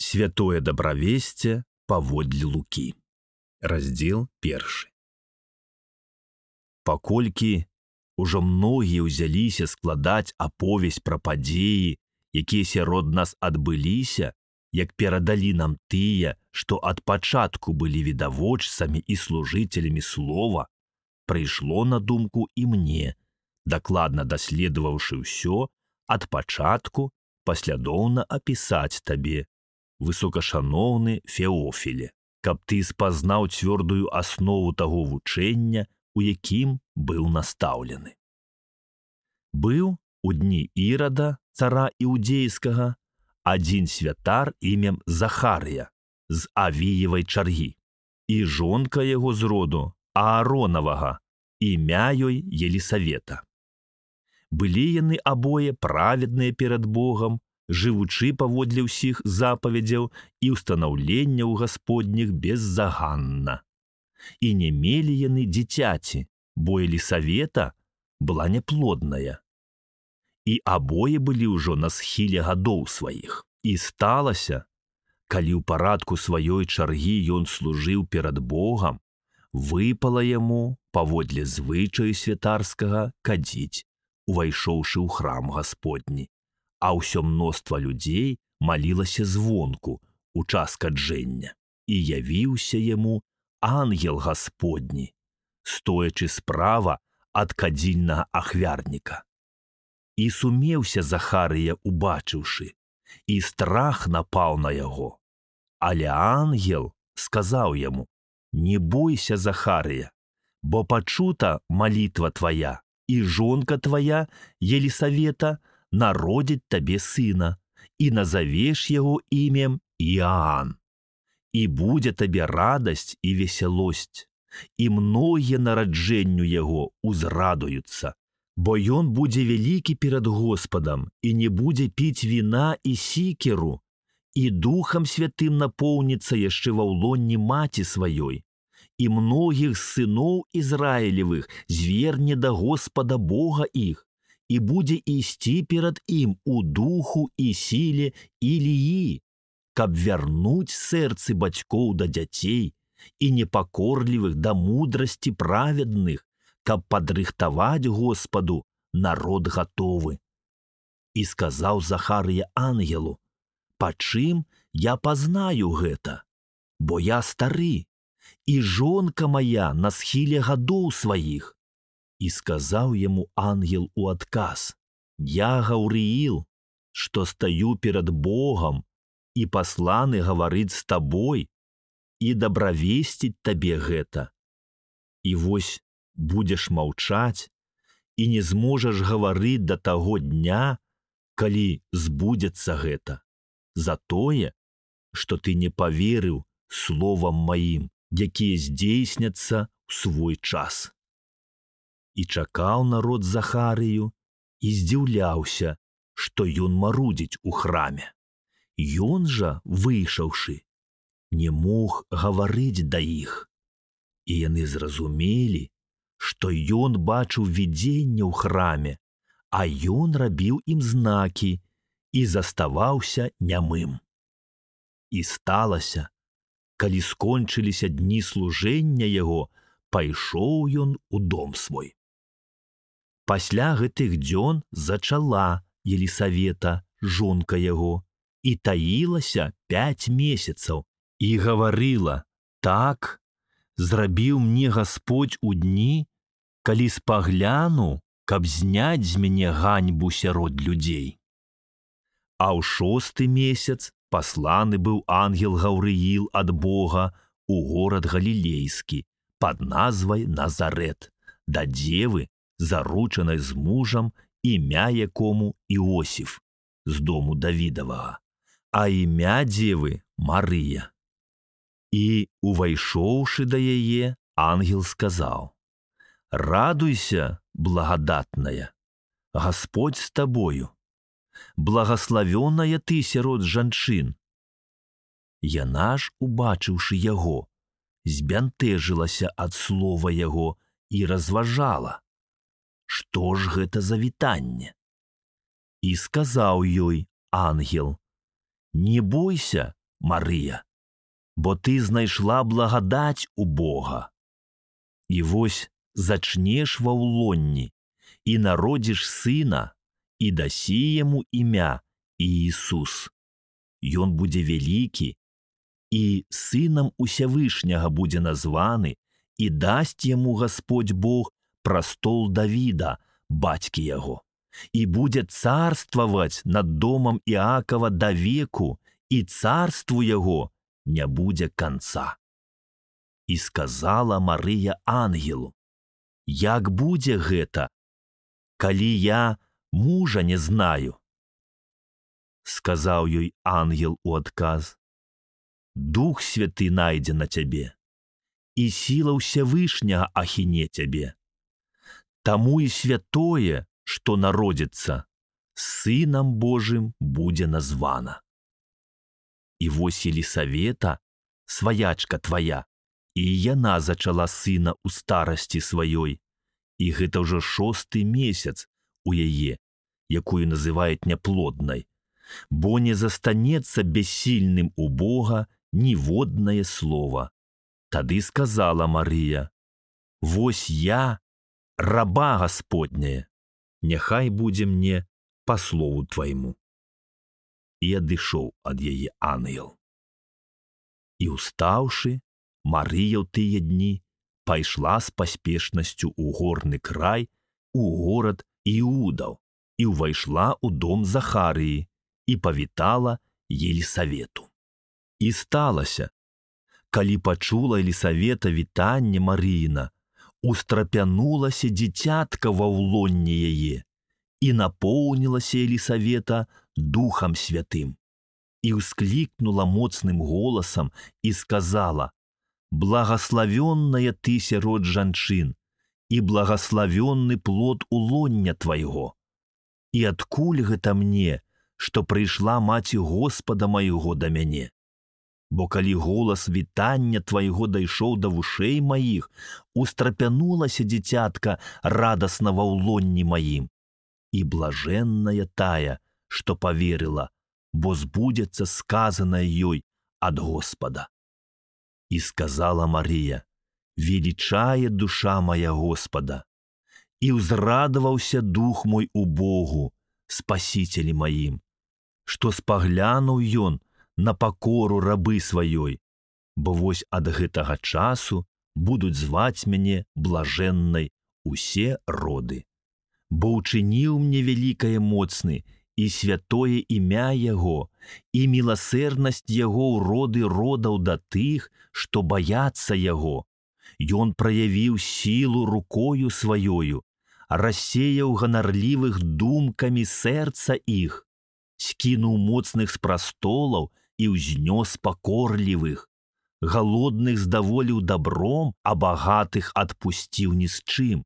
Святое добравесце паводле Лукі. Раздзел 1. Паколькі ўжо многія ўзяліся складаць аповесць пра падзеі, якія сярод нас адбыліся, як перадалі нам тыя, што ад пачатку былі відавочцамі і служыцелямі слова, прыйшло на думку і мне, дакладна даследаваўшы ўсё, ад пачатку паслядоўна апісаць табе, высокашаноўны Феофіле, каб ты спазнаў цвёрдую аснову таго вучэння, у якім быў настаўлены. Быў у дні Ірада, цара іудзейскага, адзін святар імем Захарыя з Авіевай чаргі, і жонка яго з роду Ааронавага, імя ёй Елісавета. Былі яны абое праведныя перад Богам, жывучы паводле ўсіх запаведзяў і ўстанаўленняў Гасподніх беззаганна. І не мелі яны дзіцяці, бо Елісавета была няплодная. І абое былі ўжо на схіле гадоў сваіх. І сталася, калі ў парадку сваёй чаргі ён служыў перад Богам, выпала яму паводле звычаю святарскага кадзіць, увайшоўшы ў храм Гасподні. А ўсё мноства людзей малілася звонку у час каджэння. І явіўся яму ангел Гасподні, стоячы справа ад кадзільнага ахвярніка. І сумеўся Захарыя, убачыўшы, і страх напаў на яго. Але ангел сказаў яму: «Не бойся, Захарыя, бо пачута малітва твая, і жонка твая, Елісавета, народзіць табе сына, і назавеш яго імем Іаан. І будзе табе радасць і весялосць, і многія нараджэнню яго узрадуюцца, бо ён будзе вялікі перад Господам і не будзе піць віна і сікеру, і Духам Святым напоўніцца яшчэ ва ўлонні маці сваёй, і многіх сыноў Ізраілевых зверне да Господа Бога іх, і будзе ісці перад ім у духу і сіле Іліі, каб вярнуць сэрцы бацькоў да дзяцей і непакорлівых да мудрасці праведных, каб падрыхтаваць Господу народ гатовы». І сказаў Захарыя ангелу: «Па чым я пазнаю гэта? Бо я стары, і жонка моя на схіле гадоў сваіх». І сказаў яму ангел у адказ: «Я Гаўрыіл, што стаю перад Богам, і пасланы гаварыць з табой, і дабравесціць табе гэта. І вось будзеш маўчаць, і не зможаш гаварыць да таго дня, калі збудзецца гэта, за тое, што ты не паверыў словам маім, якія здзейсняцца ў свой час». І чакаў народ Захарыю і здзіўляўся, што ён марудзіць у храме. Ён жа, выйшаўшы, не мог гаварыць да іх. І яны зразумелі, што ён бачыў відзенне ў храме, а ён рабіў ім знакі і заставаўся нямым. І сталася, калі скончыліся дні служэння яго, пайшоў ён у дом свой. Пасля гэтых дзён зачала Елісавета, жонка яго, і таілася 5 месяцаў, і гаварыла: «Так зрабіў мне Гасподь у дні, калі спагляну, каб зняць з мяне ганьбу сярод людзей». А ў 6 месяц пасланы быў ангел Гаўрыіл ад Бога у горад Галілейскі пад назвай Назарэт, да дзевы, заручанай з мужам, імя якому Іосіф, з дому Давідавага, а імя дзевы Марыя. І, увайшоўшы да яе, ангел сказаў: «Радуйся, благадатная, Гасподь з табою, благаславёная ты сярод жанчын». Яна ж, убачыўшы яго, збянтэжылася ад слова яго і разважала, што ж гэта за вітанне. І сказаў ёй ангел: «Не бойся, Марыя, бо ты знайшла благадаць у Бога. І вось зачнеш ва ўлонні, і народзіш сына, і дасі яму імя Іісус. Ён будзе вялікі, і сынам Усявышняга будзе названы, і дасць яму Гасподзь Бог прастол Давіда, бацькі яго, і будзе царстваваць над домам Іакова да веку, і царству яго не будзе канца. І сказала Марыя ангелу: як будзе гэта, калі я мужа не знаю? Сказаў ёй ангел у адказ: Дух Святы найдзе на цябе, і сіла Ўсявышняга ахіне цябе. Таму і святое, што народзіцца, Сынам Божым будзе названа. І вось Елісавета, сваячка твая, і яна зачала сына ў старасці сваёй, і гэта ўжо 6-й месяц у яе, якую называюць няплоднай, бо не застанецца бессільным у Бога ніводнае слова. Тады сказала Марыя: вось я, раба Гасподняя, няхай будзе мне па слову твайму. І адышоў ад яе ангел. І устаўшы, Марыя ў тыя дні пайшла з паспешнасцю ў горны край, у горад Іудаў, і ўвайшла ў дом Захарыі і павітала Елісавету. І сталася, калі пачула Елісавета вітанне Марыіна, устрапянулася дзіцятка ва ўлонні яе, і напоўнілася Елісавета Духам Святым, і ўсклікнула моцным голасам і сказала: благаславённая ты сярод жанчын, і благаславённы плод улоння твайго. І адкуль гэта мне, што прыйшла маці Господа майго да мяне? Бо калі голас вітання твайго дайшоў да вушэй маіх, устрапянулася дзіцятка радасна ва ўлонні маім. І блажэнная тая, што паверыла, бо збудзецца сказанае ёй ад Господа. І сказала Марыя: велічае душа мая Господа, і ўзрадаваўся дух мой у Богу, спасителі маім, што спаглянуў ён на пакору рабы сваёй, бо вось ад гэтага часу будуць зваць мяне блажэннай усе роды. Бо ўчыніў мне вялікае моцны і святое імя яго, і міласэрнасць яго ў роды родаў да тых, што баяцца яго. Ён праявіў сілу рукою сваёю, рассеяў ганарлівых думкамі сэрца іх, скінуў моцных з прастолаў і ўзнёс пакорлівых, галодных здаволіў дабром, а багатых адпусціў ні з чым,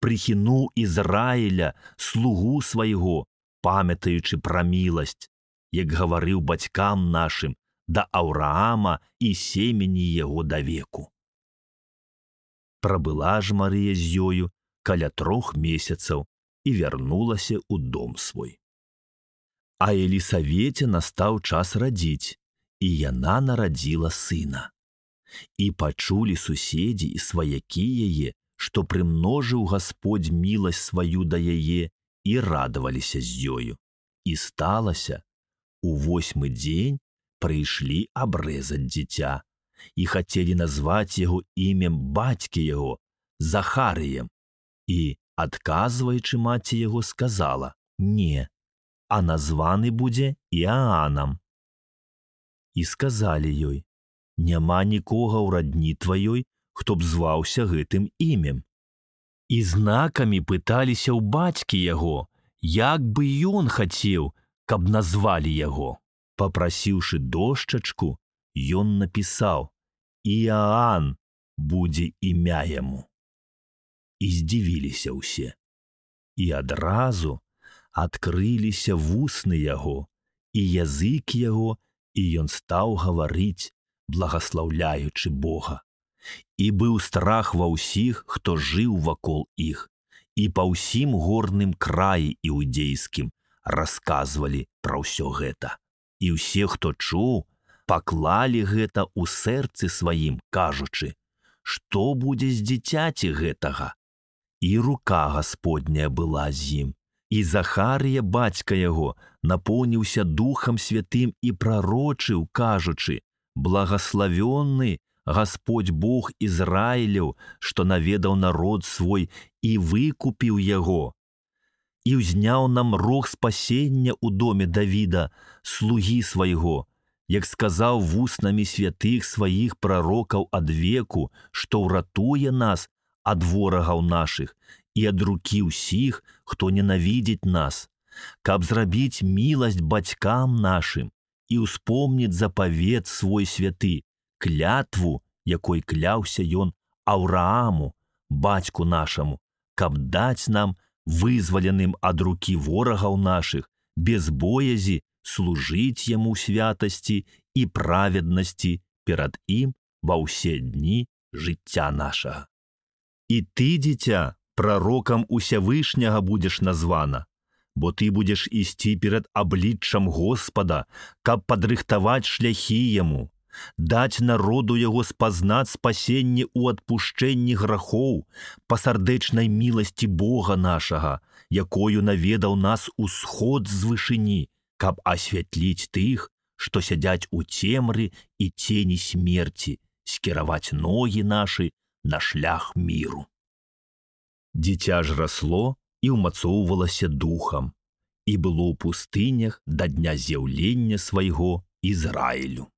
прыхінуў Ізраіля, слугу свайго, памятаючы пра міласць, як гаварыў бацькам нашым, да Аўраама і семені яго да веку. Прабыла ж Марыя з ёю каля 3 месяцаў і вярнулася ў дом свой. А Елісавеце настаў час радзіць, і яна нарадзіла сына. І пачулі суседзі і сваякі яе, што прымножыў Гасподзь міласць сваю да яе, і радаваліся з ёю. І сталася, у 8-й дзень прыйшлі абрэзаць дзіця, і хацелі назваць яго імем бацькі яго, Захарыем. І, адказваючы маці яго, сказала: не, а названы будзе Іаанам. І сказалі ёй: няма нікога ў радні тваёй, хто б зваўся гэтым імем. І знакамі пыталіся ў бацькі яго, як бы ён хацеў, каб назвалі яго. Папрасіўшы дошчачку, ён напісаў: Іаан будзе імя яму. І здзівіліся ўсе. І адразу адкрыліся вусны яго, і язык яго, і ён стаў гаварыць, благаслаўляючы Бога. І быў страх ва ўсіх, хто жыў вакол іх, і па ўсім горным краі іудзейскім расказвалі пра ўсё гэта. І ўсе, хто чуў, паклалі гэта ў сэрцы сваім, кажучы: што будзе з дзіцяці гэтага? І рука Гасподняя была з ім. І Захарыя, бацька яго, напоўніўся Духам Святым і прарочыў, кажучы: благаславённы Гасподь Бог Ізраіляў, што наведаў народ свой і выкупіў яго. І ўзняў нам рог спасення ў доме Давіда, слугі свайго, як сказаў вуснамі святых сваіх прарокаў ад веку, што ўратуе нас ад ворагаў нашых і ад рукі ўсіх, хто ненавідзіць нас, каб зрабіць міласць бацькам нашым і ўспомніць запавет свой святы, клятву, якой кляўся ён Аўрааму, бацьку нашаму, каб даць нам, вызваленым ад рукі ворагаў нашых, без боязі служыць яму святасці і праведнасці перад ім ва ўсе дні жыцця нашага. І ты, дзіця, прарокам Усявышняга будзеш названа, бо ты будзеш ісці перад абліччам Господа, каб падрыхтаваць шляхі яму, даць народу яго спазнаць спасенне ў адпушчэнні грахоў па сардэчнай міласці Бога нашага, якою наведаў нас усход з вышыні, каб асвятліць тых, што сядзяць у цемры і цені смерці, скіраваць ногі нашы на шлях міру. Дзіця ж расло і ўмацоўвалася духам, і было ў пустынях да дня з'яўлення свайго Ізраілю.